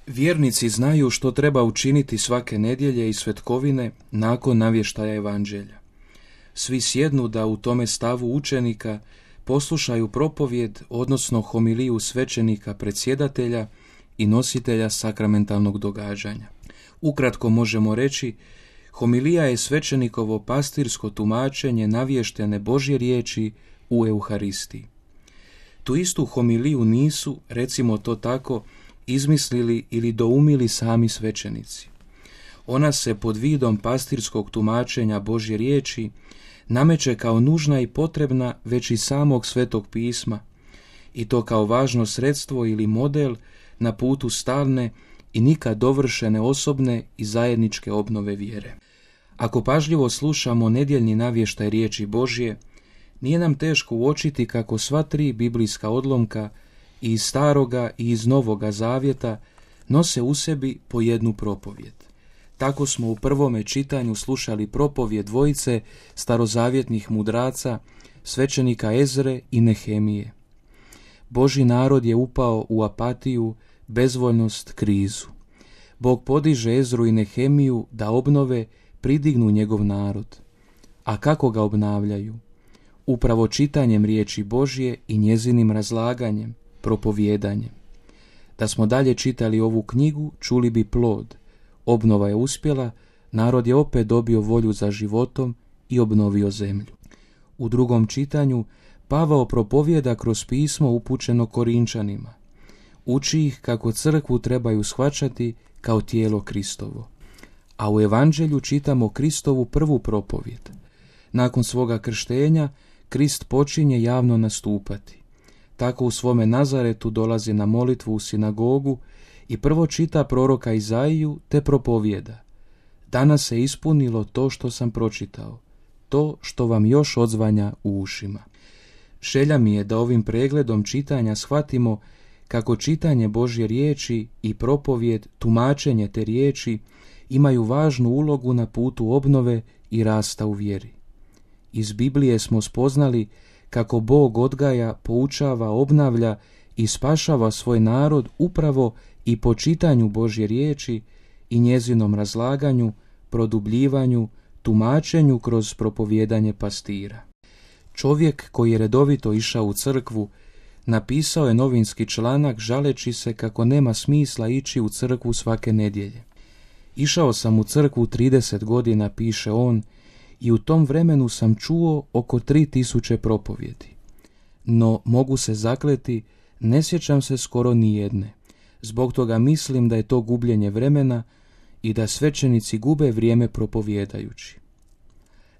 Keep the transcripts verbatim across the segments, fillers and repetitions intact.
Vjernici znaju što treba učiniti svake nedjelje i svetkovine nakon navještaja evanđelja. Svi sjednu da u tome stavu učenika poslušaju propovjed, odnosno homiliju svećenika predsjedatelja i nositelja sakramentalnog događanja. Ukratko možemo reći, homilija je svećenikovo pastirsko tumačenje navještene Božje riječi u Euharistiji. Tu istu homiliju nisu, recimo to tako, izmislili ili doumili sami svećenici. Ona se pod vidom pastirskog tumačenja Božje riječi nameće kao nužna i potrebna već iz samog Svetog pisma, i to kao važno sredstvo ili model na putu stalne i nikad dovršene osobne i zajedničke obnove vjere. Ako pažljivo slušamo nedjeljni navještaj riječi Božje, nije nam teško uočiti kako sva tri biblijska odlomka i iz Staroga i iz Novoga Zavjeta nose u sebi po jednu propovjed. Tako smo u prvome čitanju slušali propovjed dvojice starozavjetnih mudraca, svećenika Ezre i Nehemije. Božji narod je upao u apatiju, bezvoljnost, krizu. Bog podiže Ezru i Nehemiju da obnove, pridignu njegov narod. A kako ga obnavljaju? Upravo čitanjem riječi Božje i njezinim razlaganjem, propovjedanjem. Da smo dalje čitali ovu knjigu, čuli bi plod. Obnova je uspjela, narod je opet dobio volju za životom i obnovio zemlju. U drugom čitanju Pavao propovjeda kroz pismo upućeno Korinčanima. Uči ih kako crkvu trebaju shvaćati kao tijelo Kristovo. A u evanđelju čitamo Kristovu prvu propovjed. Nakon svoga krštenja, Krist počinje javno nastupati. Tako u svome Nazaretu dolazi na molitvu u sinagogu i prvo čita proroka Izaiju te propovjeda. Danas se ispunilo to što sam pročitao, to što vam još odzvanja u ušima. Želja mi je da ovim pregledom čitanja shvatimo kako čitanje Božje riječi i propovjed, tumačenje te riječi imaju važnu ulogu na putu obnove i rasta u vjeri. Iz Biblije smo spoznali kako Bog odgaja, poučava, obnavlja i spašava svoj narod upravo i po čitanju Božje riječi i njezinom razlaganju, produbljivanju, tumačenju kroz propovjedanje pastira. Čovjek koji je redovito išao u crkvu napisao je novinski članak žaleći se kako nema smisla ići u crkvu svake nedjelje. Išao sam u crkvu trideset godina, piše on, i u tom vremenu sam čuo oko tri tisuće propovjedi. No, mogu se zakleti, ne sjećam se skoro ni jedne. Zbog toga mislim da je to gubljenje vremena i da svećenici gube vrijeme propovjedajući.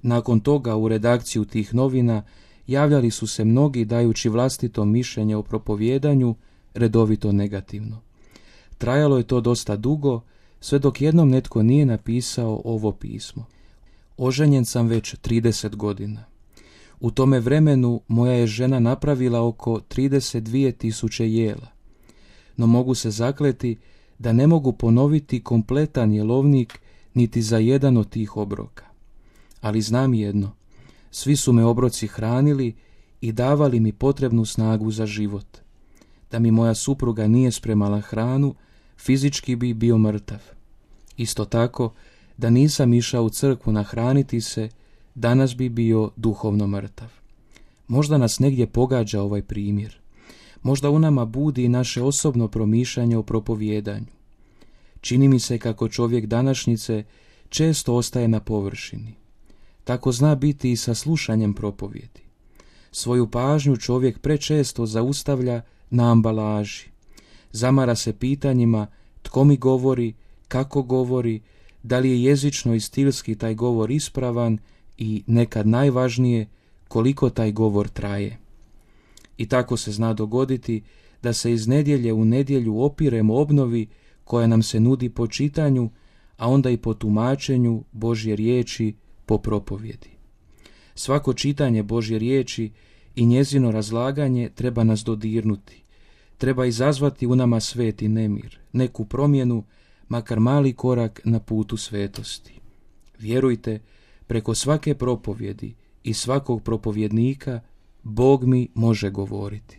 Nakon toga u redakciju tih novina javljali su se mnogi dajući vlastito mišljenje o propovjedanju, redovito negativno. Trajalo je to dosta dugo, sve dok jednom netko nije napisao ovo pismo. Oženjen sam već trideset godina. U tome vremenu moja je žena napravila oko trideset dvije tisuće jela. No mogu se zakleti da ne mogu ponoviti kompletan jelovnik niti za jedan od tih obroka. Ali znam jedno, svi su me obroci hranili i davali mi potrebnu snagu za život. Da mi moja supruga nije spremala hranu, fizički bi bio mrtav. Isto tako, da nisam išao u crkvu nahraniti se, danas bi bio duhovno mrtav. Možda nas negdje pogađa ovaj primjer. Možda u nama budi i naše osobno promišljanje o propovjedanju. Čini mi se kako čovjek današnjice često ostaje na površini. Tako zna biti i sa slušanjem propovjedi. Svoju pažnju čovjek prečesto zaustavlja na ambalaži. Zamara se pitanjima tko mi govori, kako govori, da li je jezično i stilski taj govor ispravan i, nekad najvažnije, koliko taj govor traje. I tako se zna dogoditi da se iz nedjelje u nedjelju opiremo obnovi koja nam se nudi po čitanju, a onda i po tumačenju Božje riječi po propovjedi. Svako čitanje Božje riječi i njezino razlaganje treba nas dodirnuti. Treba izazvati u nama sveti nemir, neku promjenu, makar mali korak na putu svetosti. Vjerujte, preko svake propovjedi i svakog propovjednika Bog mi može govoriti.